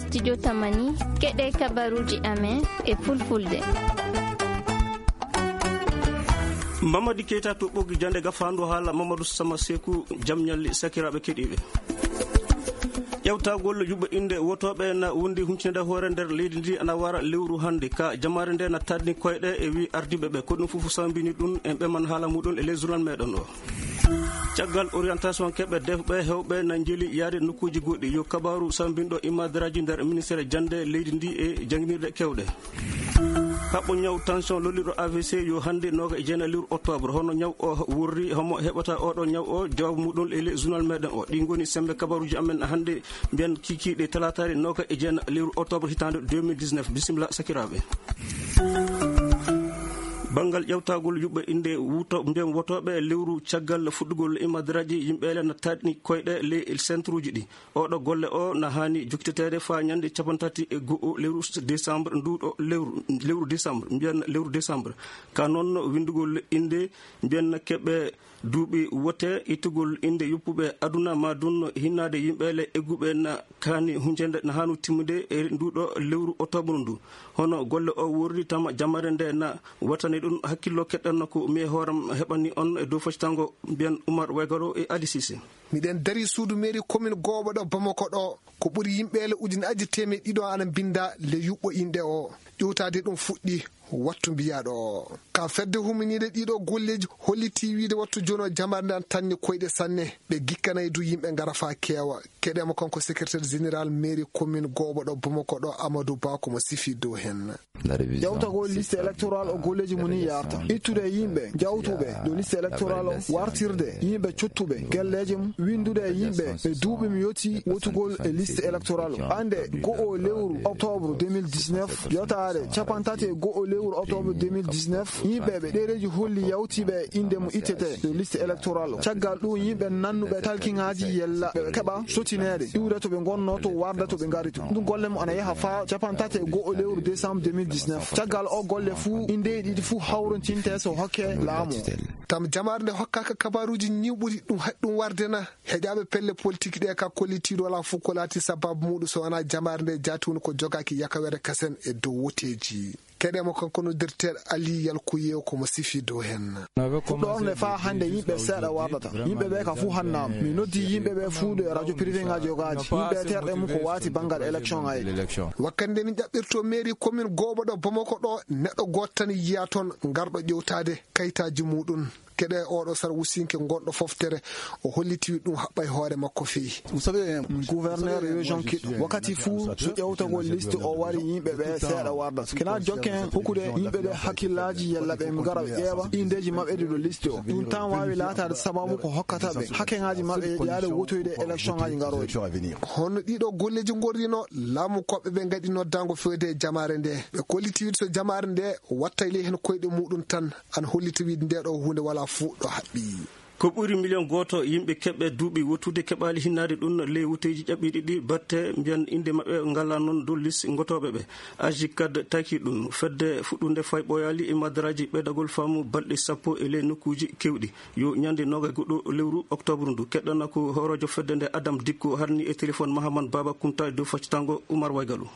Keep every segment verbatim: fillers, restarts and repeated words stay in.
Studio Tamani, keɗe kabaruji amen e fulfulde. Mamadi Keita to ɓoggi jande gafaandu haala Mamadou Sama Seku, jam ñalli sakiraaɓe keɗiiɓe. Ƴewtagol yuɓɓe innde wotooɓe na wondi huncinde hoore nder leydi ndi ana wara lewru hannde. Ka jamaare nde na taɗni koyɗe e wi ardiiɓe ɓe. Ko ɗum fof sambini ɗum en ɓeman haala muɗum e les journal meɗen o. Caggal orientation keɓe defɓe hewɓe na njeli yaade nokkuuji goɗɗi. Yo kabaaru sambinɗo imadaraaji nder ministére jannde leydi ndi e jannginirɗe kewɗe. Haɓɓo ñaw tension lolliɗo A V C yo hannde nooga e jeenayi lewru octobre. Hono ñaw o worri, homo heɓata oɗo ñaw o? Jawaabu muɗum e les journal meɗen o. Ɗi ngoni sembe kabaruji amen hannde, mbiyen kikiɗe talataare nooga e jeenayi lewru octobre hitaande deux mille dix-neuf. Bisimilla sakiraaɓe. Banngal ƴewtagol yuɓɓe innde wuto-, mbiyen wotooɓe lewru caggal fuɗɗugol imadaraaji, yimɓe ele na taɗni koyɗe les centre uji ɗi. Oɗo golle o na haani jokkiteteede faa ñande capantati e go'o lewru décembre, nduɗo lewru, lewru décembre, mbiyen lewru décembre. Ka noon winndugol innde, mbiyen keɓe duuɓi wote, ittugol innde yoppuɓe aduna ma dun hinnaade yimɓe ele egguɓe na kaani huncende, na haanu timmude e nduɗo lewru octobre ndu. Hono golle o worri tama jamare nde na wattani ɗum hakkillo keɗɗanno ko mi e hooram heɓani on e dow foccango mbiyen Oumar Waygaro e Ali Cissé. Miɗen dari suudu mairie commune Gooɓo ɗo Bamako ɗo. Ko ɓuri yimɓe ele ujunaaji teemeɗɗe ɗiɗo ana mbinda le yuɓɓo inɗe o. Ƴewtaade ɗum fuɗɗi wattu mbiyaɗo o. Ka fedde huminiiɗe ɗiɗo golleeji holliti wiide wattu jono jamare nde an tanni koyɗe sanne. Ɓe gikkanay du yimɓe ngara faa keewa. Keɗema kanko secrétaire général mairie commune Gooɓo ɗo Bamako ɗo Amadou Ba ko mo sifi dow hen. Ƴewtagol liste électorale o golleeji mum ni yarta. Ittude e yimɓe jawtuɓe dow liste électorale o, wartirde yimɓe cottuɓe gelleeji mum, winndude e yimɓe ɓe duuɓi mi yoti wotugol e liste électorale o. Ande go'o lewru octobre deux mille dix-neuf, yotaade capantati e go'o lewru octobre deux mille dix-neuf, yimɓe ɓe ɗereeji holli yawtiiɓe e innde mo ittete dow liste électorale o. Caggal ɗum yimɓe nannuɓe talkiŋaaji yella ɓe keɓa sotineede iwde to ɓe ngonno to warda to ɓe ngari to. Ɗum golle mum ana yaha faa capantati e go'o lewru décembre deux mille dix-neuf. Caggal o golle fuu, indeeji ɗiɗi fuu hawrontinte so hokke laamu. Tam jamaare nde hokkaaka kabaaruuji ñiwɓuɗi ɗum haɗi ɗum warde na? Heƴaaɓe pelle politique ɗe ka kollitiiɗo walaa fof ko laati sababu muɗum so wonaa jamaare nde jaati woni ko jogaaki yakawere kasen e dow woteeji. Keɗemo kanko no directeur Ali Yalkuye ko mo sifi dow hen. Fuɗɗorde faa hannde yimɓe seeɗa wardata. Yimɓe ɓe ka fuu hannaama. Mi noddi yimɓe ɓe fuu ɗo e radio privé ŋaaji yogaaji. Yimɓe terɗe mum ko waati banngal élection ŋaaji. Wakkati nde min ƴaɓɓirto mairie commune Gooɓo ɗo Bamako ɗo, neɗɗo gooto tan yiyaa toon ngarɗo ƴewtaade kayitaaji muɗum. Keɗe oɗo sar wusinke gonɗo foftere, o holliti ɗum haɓɓay hoore makko fii. Gouverneur région kiɗɗo wakkati fuu so ƴewtagol liste o wari yimɓe ɓe seeɗa warda. Kena jokken hokkude yimɓe ɓe hakkillaaji yalla ɓe ngara ɓe ƴeewa indeeji maɓɓe ɗi ɗo liste o. Ɗum tan waawi laataade sababu ko hokkata ɓe hakkeŋaaji maɓɓe yaade wotoyde élection ŋaaji ngarooji. Hono ɗiɗo golleeji ngorrino laamu koɓɓe ɓe ngaɗi noddaango fewde e jamaare nde. Ɓe kolliti wiide so jamaare nde wattay ley hen koyɗe muɗum tan, an holliti wiide nde ɗo huunde walaa fuu ɗo haɓɓi. Ko ɓuri miliyon gooto yimɓe keɓɓe duuɓi wottude keɓaali hinnaade ɗum ley woteeji ƴaɓɓiiɗi ɗi batte mbiyan innde maɓɓe ngala noon dow liste ngotooɓe ɓe. Aji kad taki ɗum fedde fuɗɗunde fay ɓooyaali e madaraaji ɓeydagol faamu balɗe sappo e ley nokkuuji keewɗi. Yo ñande nooga e goɗɗo lewru octobre ndu. Keɗɗana ko hooroojo fedde nde Adam Dikko harni e téléphone Mahaman Baba Kunta e dow faccitango Oumar Waygalu.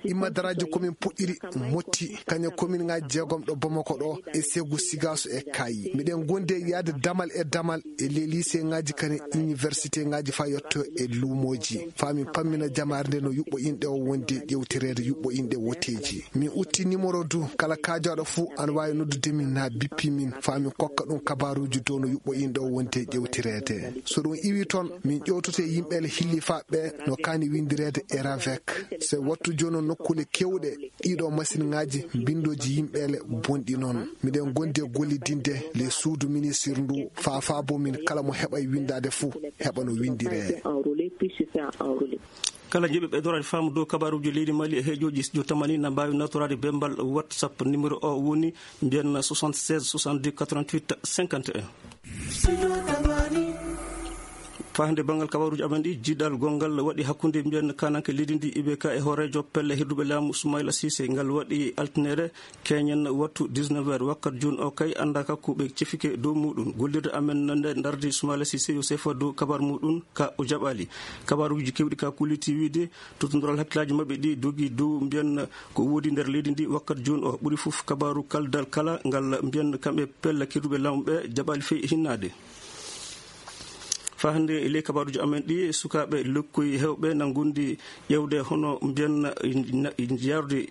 Immadaraaji komin puɗɗiri motti, kañe komin ŋaaji jeegom ɗo Bamako ɗo e Segu Sigaso e Kaayi. Miɗen gondi e yaade damal e damal e les lycée ŋaaji kane université ŋaaji faa yetto e luumooji. Faa min pammina jamaare nde no yuɓɓo inɗe o wonde ƴewtireede yuɓɓo inɗe woteeji. Min utti numéro du kala kaajaaɗo fuu ana waawi noddude min na bippi min faa min kokka ɗum kabaaruuji dow no yuɓɓo inɗe o wonde ƴewtireede. So ɗum iwi toon, min ƴewtoto e yimɓe ele hilli faa ɓe no kaani winndireede e ravec. Se wattu jooni nokkuule keewɗe ɗiɗo masiŋaaji mbinndooji yimɓe ele bonɗi noon. Miɗen gondi e gollidinde le suudu ministir ndu faa faabo min kala mo heɓay winndaade fuu heɓa no winndiree. Kala jiɗɓe ɓeydoraade faamu dow kabaaruuji leydi Mali e heejooji studio tamani na mbaawi nawtoraade bembal WhatsApp numéro o woni mbiyen soixante-seize soixante-deux quatre-vingt-huit cinquante et un. Faa hannde banngal kabaaruuji amen ɗi, jiiɗal gonngal waɗi hakkunde mbiyen kaananke leydi ndi I B K e hooreejo pelle hirduɓe laamu Soumaïla Cissé. Ngal waɗi altine keñen wattu dix-neuf heures wakkat juun o kay annda ka ko ɓe cefike dow muɗum. Gollirde amen nde ndardi Soumaïla Cissé yo sefa dow kabaar muɗum ka o jaɓaali. Kabaaruuji kewɗi ka kulliti wiide tottodiral hakkillaaji maɓɓe ɗi dogi dow mbiyen ko woodi nder leydi ndi wakkat juun o. Ɓuri fof kabaaru kaldal kala ngal mbiyen kamɓe pelle hirduɓe laamu ɓe jaɓaali fey hinnaade. Faa hannde e ley kabaaruuji amen ɗi, sukaaɓe lekkoy heewɓe na ngondi ƴeewde hono mbiyen na, na, yarude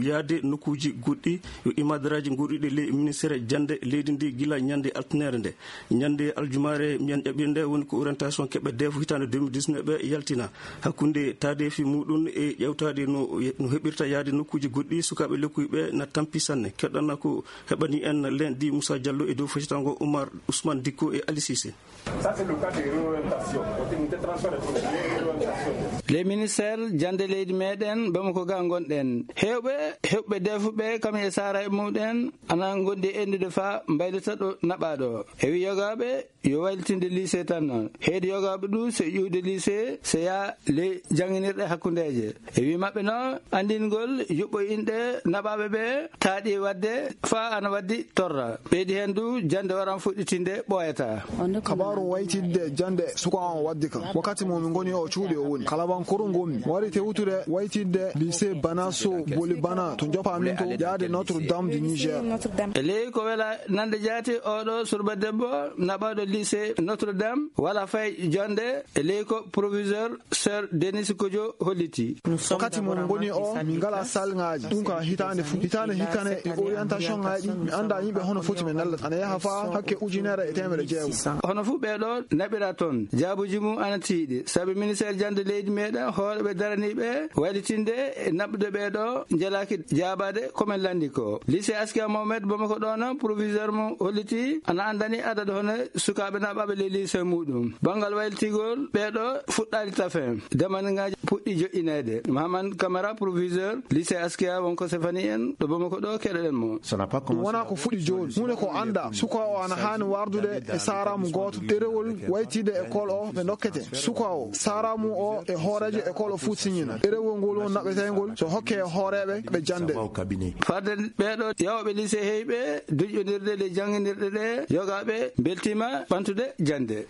yaade nokkuuji goɗɗi yo imadaraaji goɗɗuɗi ley ministere jannde leydi ndi gila ñande altinere nde. Ñande aljumaare mbiyen ƴaɓɓirde woni ko orientation keɓe defu hitaande deux mille dix-neuf ɓe yaltina. Hakkunde taadeefi muɗum e ƴeewtaade no, no heɓirta yaade nokkuuji goɗɗi, sukaaɓe lekkoy ɓe na tampi sanne. Keɗɗana ko heɓani en len di Moussa Diallo e dow feccitango Oumar Ousmane Dicko e Ali Cissé. Ça, c'est le cas de réorientation. Continuité transfert de réorientation. Les ministères jannde leydi meɗen Bamako ga ngonɗen. Heewɓe, heewɓe defuɓe kam e saara e muɗen ana ngondi e endude faa mbaylita ɗo naɓaaɗo. E wi yogaaɓe yo waylitinde lycée tan. Heedi yogaaɓe ɗu se ƴuwde lycée, se yaa ley jannginirɗe hakkundeeje. E wi maɓɓe noon, anndingol yuɓɓo inɗe naɓaaɓe ɓe taaɗi waɗde faa ana waɗdi torra. Ɓeydi heen du, jannde waran fuɗɗitinde ɓooyata. Kabaaru waytidde jannde suka on waddi kam. Wakkati mo mi ngoni o cuuɗi o woni. Kalabankoro ngonmi. Wari tewtude waytidde lycée Bana Sow, Boli Bana, to njoppa min to yaade Notre Dame du Niger. E ley ko wela nande jaati, oɗo surba debbo naɓaɗo lycée Notre Dame wala fay jonnde e ley ko proviseur Sir Denis Kojo holliti. Wakkati mo ngoni o, min ngala salngaaji. Ɗum ka hitaande fu. Hitaande hikkane e orientation ngaaji, mi annda yimɓe hono foti ɓe nallata. Ana yaha faa hakke ujunere e teemedde jeego. Hono fu ɓeeɗo naɓira toon. Jaabuji mum ana tiiɗi. Sabi ministère jannde leydi meɗen, hooreɓe daraniiɓe waylitinde e naɓude ɓeeɗo njelaaki jaabaade ko men lanndi ko. Lycée Askia Mohamed Bamako ɗoon, proviseur mum holliti ana anndani adadu hono sukaaɓe naɓaaɓe ley lycée muɗum. Banngal waylitigol ɓeeɗo fuɗɗaali tafe. Damaniŋaaji puɗɗi joƴƴineede. Mahaman Camara, proviseur lycée Askia, wonko sefani en ɗo Bamako ɗo, keɗoɗen mo. Ɗum wonaa ko fuɗi jooni. Huunde ko annda. Suka o ana haani wardude e saaraamu gooto. Ɗerewol waytide école o ɓe ndokkete. Suka o, saaraamu o e hooreejo école o fuu siñina. Ɗerewol ngol won naɓeteyngol so hokke e hooreeɓe ɓe jannde. Fadde ɓeeɗo yawɓe lycée heyɓe duƴƴondirde le jannginirɗe ɗe, yogaaɓe mbeltiima ɓantude jannde.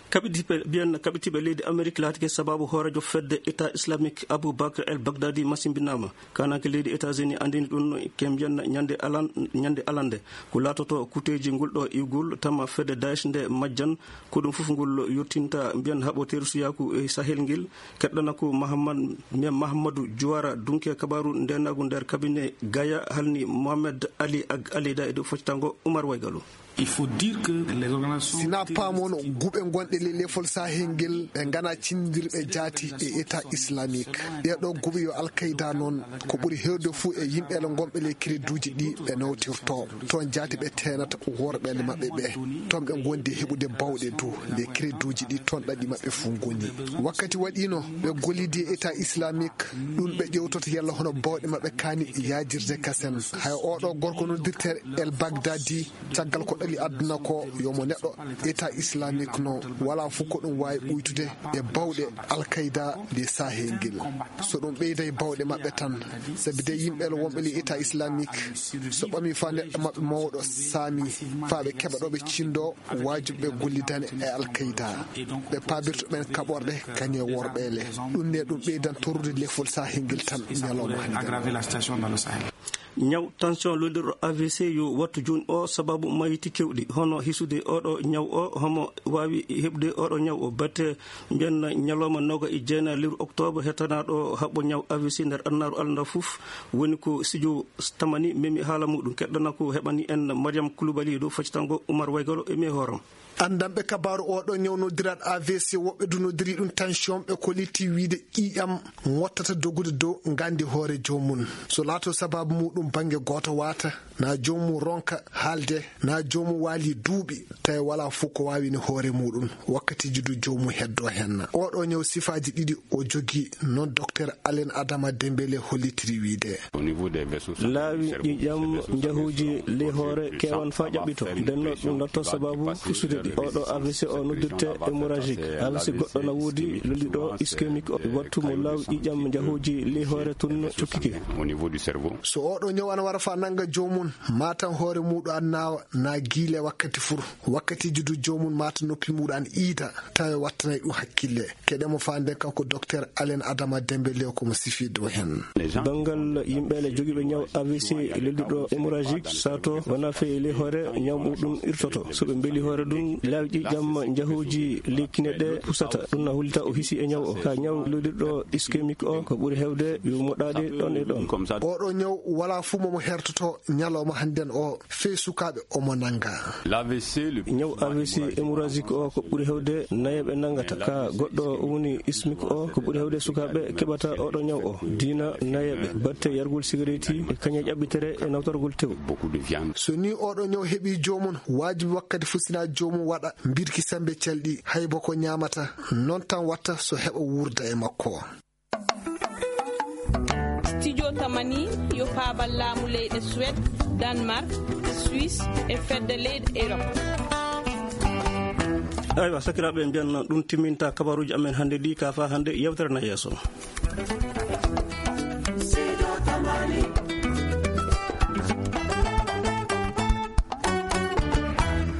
Kaɓitiiɓe, mbiyen kaɓitiiɓe leydi Amerik laatike sabaabu hooreejo fedde État Islamique Abou Bakr El Baghdadi masimbinaama. Kaananke leydi États-Unis anndini ɗum ke mbiyen ñande alan-, ñande alande. Ko laatoto kuteeji ngol ɗo iwgol tama fedde Daesh nde majjan, ko ɗum fof ngol yottinta mbiyen haɓo tersuyaaku e Sahel ngel. Keɗɗana ko Mahamad-, mbiyen Mahamadou Diouara Dunke kabaaru ndeenaagu nder cabinet Gaya halni Mohamed Ali Ag Alida e dow foccitango Oumar Waygalo. Il faut dire que les organisations Sina paamono guɓe gonɗe le lefol Sahel ngel ɓe ngana cindirɓe jaati e État Islamique. Ɗeɗo guɓe yo Al-Qaïda noon ko ɓuri heewde fuu e yimɓe le gonɓe le créduuji ɗi ɓe nawtirto. Toon jaati ɓe teenata worɓe le maɓɓe ɓe. Toon ɓe gondi heɓude bawɗe dow le créduuji ɗi toon ɗaɗi maɓɓe fuu ngoni. Wakkati waɗino ɓe gollidi e État Islamique, ɗum ɓe ƴewtoto yalla hono bawɗe maɓɓe kaani yaajirde kasen. Hay oɗo gorko noddirte El Baghdadi, caggal ko ɗali aduna ko, yo mo neɗɗo État Islamique no, wala fof ko ɗum waawi ɓuytude e bawɗe Al-Qaïda nde Sahel ngel. So ɗum ɓeyday bawɗe maɓɓe tan, sabi de yimɓe le wonɓe le État Islamique, so ɓami fa neɗɗo maɓɓe mawɗo saami, fa ɓe keɓa ɗo ɓe cindo, wajibi ɓe gollidane e Al-Qaïda. Ɓe paabirto ɓen kaɓorɗe kani e worɓe le. Ɗum ne ɗum ɓeydan torrude lefol Sahel ngel tan ñalawma hannde. Aggraver la situation dans le Sahel. Ñaw tension lolirɗo A V C yo wattu juun o sababu mayiti kewɗi. Hono hisude oɗo ñaw o, homo waawi heɓde oɗo ñaw o? Batte mbiyen ñalawma noga e jeenayi lewru octobre, hetanaaɗo haɓɓo ñaw A V C nder annaaru alanda fof woni ko studio Tamani memi haala muɗum. Keɗɗana ko heɓani en Mariam Koulibaly dow faccitango Oumar Waygalo e mi hooram. Anndanɓe kabaaru oɗo ñaw noddirat A V C, woɓɓe du noddiri ɗum tension, ɓe kolliti wiide ƴiiƴam mottata dogude dow nganndi hoore joomum. So laato sababu Muɗum bannge gooto waata, na joomum ronka haalde, na joomum waali duuɓi, tawi wala fof ko waawini hoore muɗum, wakkatiiji du joomum heddo hen. Oɗo ñaw sifaaji ɗiɗi o jogii, noon Docteur Alain Adama Dembélé hollitiri wiide. Laawi ƴiiƴam njahuuji ley hoore keewan faa ƴaɓɓito. Nden noon ɗum latto sababu fusude ɗi. Oɗo A V C o noddirte hémorragique. A V C goɗɗo na woodi, lolliɗo ischémique o. Wattu mo laawi ƴiiƴam njahuuji ley hoore tun cukkike. So oɗo ñaw ana wara faa nannga joomum, matan hoore muɗum an naawa, na giile wakkati fur. Wakkatiiji du joomum mata noppi muɗum an iida, tawi wattanay ɗum hakkille. Keɗe mo faa nden kanko Docteur Alain Adama Dembélé ko mo sifi dow hen. Banngal yimɓe le jogiiɓe ñaw A V C lelluɗo hémorragique, sato wona feewi ley hoore, ñaw muɗum irtoto. So ɓe mbeli hoore ɗum, laawi ƴiiƴam njahuuji ley kine ɗe pusata. Ɗum na hollita o hisi e ñaw o. Ka ñaw lolliɗo ischémique o, ko ɓuri heewde yo moɗaade ɗon e ɗon. Oɗo ñaw wala fuu mo mo hertoto ñalawma hannden o, fee sukaaɓe omo nannga. Ñaw A V C hémorragique o ko ɓuri heewde nayeeɓe nanngata. Ka goɗɗo woni ischémique o, ko ɓuri heewde sukaaɓe keɓata oɗo ñaw o. Diina nayeeɓe, batte yargol sigareeti e kaña ƴaɓɓitere e nawtorgol tew. So ni oɗo ñaw heɓi joomum, waajibi wakkati fuu sina joomum waɗa mbirki sembe calɗi, hay boko ñaamata, noon tan watta so heɓa wuurda e makko. Studio Tamani yo paabal laamu leyɗe Suède, Danemark, Suisse e fedde leyɗe Europe. Aywa, sakiraaɓe, en mbiyan ɗum timminta kabaruuji amen hannde ɗi, ka faa hannde yewtere na yeeso.